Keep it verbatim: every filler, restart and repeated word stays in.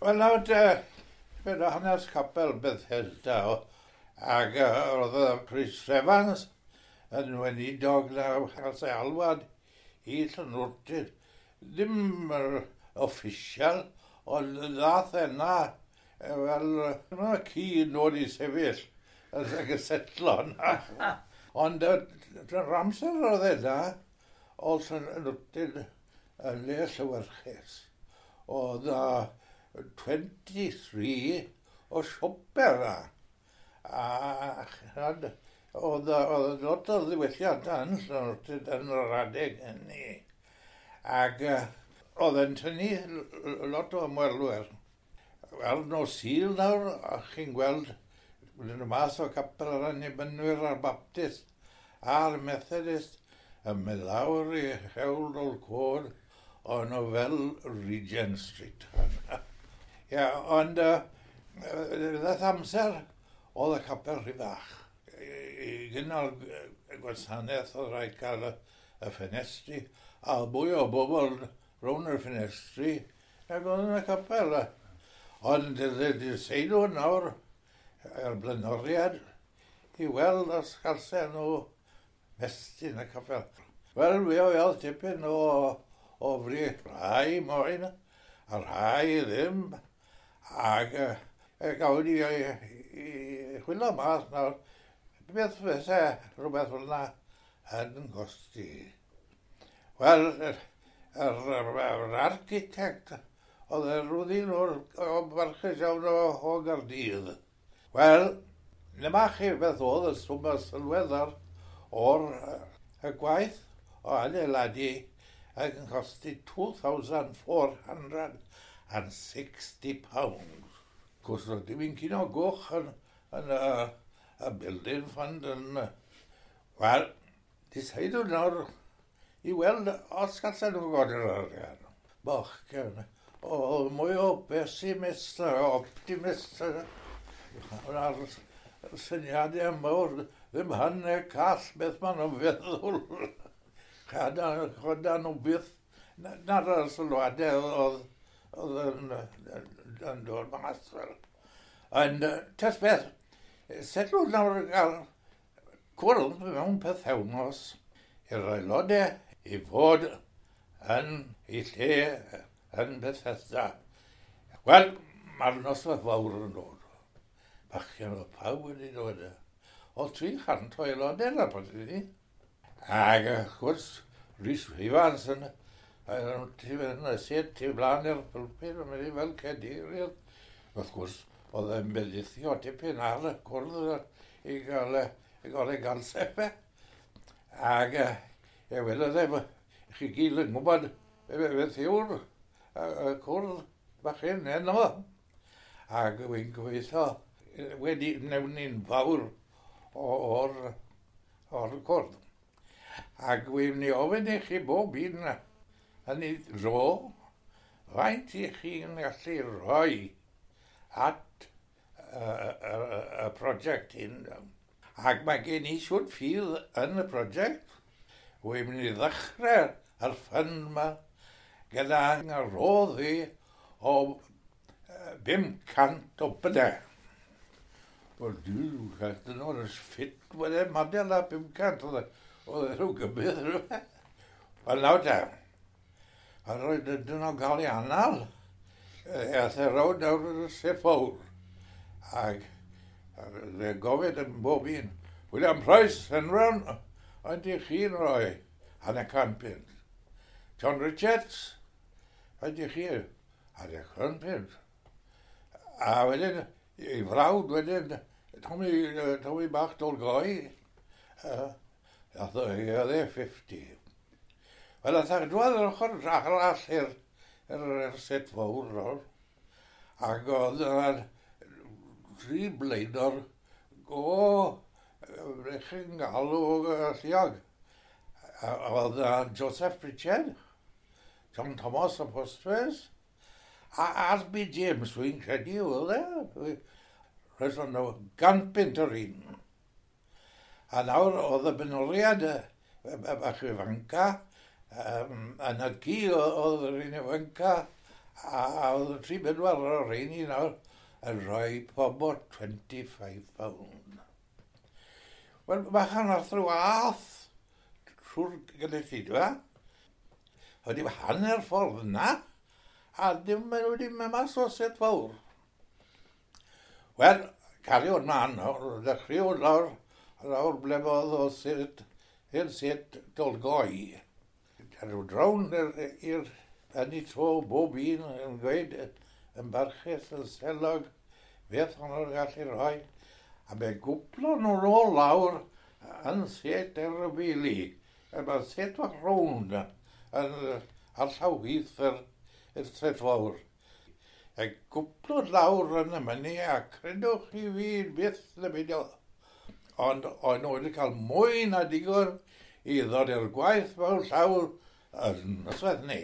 Wel, nawr te, fe hanes capel Bethesda, ac oedd y Rhys Evans yn weinidog na cael ei alwad i Llanwrtyd. Ddim yr official, ond ddath yna fel yna ci yn dod i sefyll ac y setlo yna. Ond yr amser oedd yna, oedd Llanwrtyd yn le llewyrchus. Oedd twenty-three o siopau yna. A oedd, oedd lot o ddiwylliant yn Llanwrtyd yn yr adeg hynny. Ac oedd yn tynnu lot o ymwelwyr. Wel, nos Sul nawr, a chi'n gweld yn y mas o capel yr Annibynwyr a'r Baptist a'r Methodist yn mynd lawr i Hewl Dolcod, o'n nhw fel Regent Street. Ia, ond uh, ddaeth amser oedd y capel rhy fach. I gynnal gwasanaeth oedd rhaid cael y, y ffenestri, a mwy o bobl rownd y ffenestri nag oedd yn y capel. Ond deseidw nawr yr blaenoriad i weld os galsen nhw mestyn y capel. Wel, mi oedd tipyn o, o fri, rhai moyn a rhai ddim, ac e, gawn ni i, i, i chwilio mas nawr, beth fysa rhywbeth fel yna yn costi. Wel, yr, yr, yr architect oedd y rwddin o'r o barchus iawn o, o Gaerdydd. Wel, dyma chi beth oedd y swm sylweddol o'r y gwaith o adeiladu ac yn costi two thousand four hundred and sixty pounds. Cwrs oedd dim un cino goch yn, yn y, y building fund yn. Wel, deseidw nawr i weld os gallen nhw godi'r arian. Bachgen, o mwy o pessimist a optimist a'r syniadau mawr, ddim hynny call beth maen nhw'n feddwl. Choda nhw byth, na'r sylwadau oedd, oedd yn, yn dod mas fel. Ond tes beth, setlw nawr gael cwrdd mewn pythefnos i'r aelodau i fod yn ei lle yn Bethesda. Wel, mae'r noswaith fawr yn dod. Bachgen, oedd pawb wedi dod. Oedd tri chant o aelodau yna bod ni. Ac, wrth gwrs, Rhys Ifans yn yn y set tu blaen i'r pulpit yn mynd i fel cadeirydd. Wrth gwrs, oedd e'n bendithio tipyn ar y cwrdd i gael, i gael ei gansefe. Ac e welodd e, chi gyd yn gwybod beth yw'r y cwrdd bach hyn heno. Ac wy'n gobeithio wedi wnewn ni'n fawr o'r, o'r cwrdd. Ac wy'n mynd i ofyn i chi bob un yn ei dro, faint i chi'n gallu rhoi at y, y, y, y prosiect hyn. Ac mae gen i siwt ffydd yn y prosiect. Wy'n mynd i ddechrau yr fund yma gyda roddi o bum cant o bunnau. Wel, dwi'n dyn nhw'n ffit wedyn, madel a pum cant, oedd e rhyw gybydd rhywbeth. Wel, nawr te, a roedd dyn nhw'n gael ei anal. Aeth e rownd nawr yn y set fawr. Ac fe gofyn yn bob un, "William Price, Enron, ond i chi'n rhoi hanner can punt? John Richards, ond i chi hanner can punt?" A wedyn, ei frawd wedyn, Tommy, Tommy Bach Dolgoi, uh, oedd e fifty. Wel, ath e dwad yr ochr arall i'r yr, yr set fawr nawr. Ac oedd yna tri blaenor go chi'n galw alluog. Oedd Joseph Pritchard, John Thomas o Postways, a R B. James, wy'n credu oedd e. Roedd nhw gan bunt yr un. A nawr oedd y benoriad y bach ifanca, um, a na gi oedd yr un ifanca, A, a oedd y tri bedwar o'r rheini nawr yn rhoi pobl twenty-five pound. Wel, bachan nath rhyw ath trwy'r gynulleidfa. Wedi hanner ffordd yna, a dim maen nhw wedi mynd mas o set fawr. Wel, cario mlaen nawr, dechreuodd lawr, lawr ble oedd o set, i'r set Dolgoi. Rhyw drawn i'r yn ei tro bob un yn gweud yn barchus yn selog beth o'n nhw'n gallu rhoi. A be gwplo nhw nôl lawr yn set yr y bili. Mae set fach rownd yn ar llaw chwith yr, yr set fawr. E gwplo lawr yn y myny a credwch chi fi byth na beidio. Ond o'n nhw wedi cael mwy na digon i ddod i'r gwaith mewn llawr yn noswaith ni.